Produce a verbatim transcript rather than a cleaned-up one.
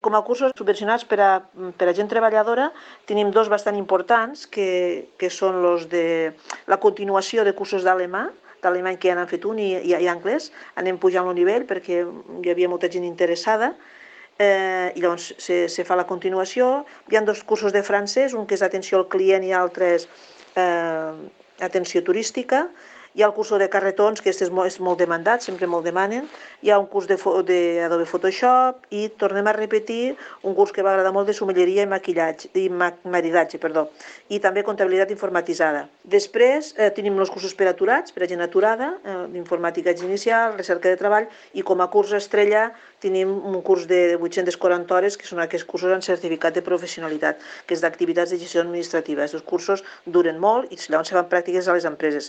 Com a cursos subvencionats per a, per a gent treballadora tenim dos bastant importants que, que són los de la continuació de cursos d'alemà, d'alemany que ja n'han fet un i, i, i anglès. Anem pujant el nivell perquè hi havia molta gent interessada eh, i llavors se, se fa la continuació. Hi ha dos cursos de francès, un que és atenció al client i l'altre és eh, atenció turística. Hi ha el curs de carretons, que és molt, és molt demandat, sempre me'l demanen. Hi ha un curs d'Adobe Photoshop i tornem a repetir un curs que va agradar molt de sommelleria i maquillatge, i maridatge, perdó, i també comptabilitat informatitzada. Després eh, tenim els cursos per aturats, per a gent aturada, eh, d'informàtica inicial, recerca de treball, i com a curs estrella tenim un curs de vuit-centes quaranta hores, que són aquests cursos en certificat de professionalitat, que és d'activitats de gestió administrativa. Aquests cursos duren molt i llavors se fan pràctiques a les empreses.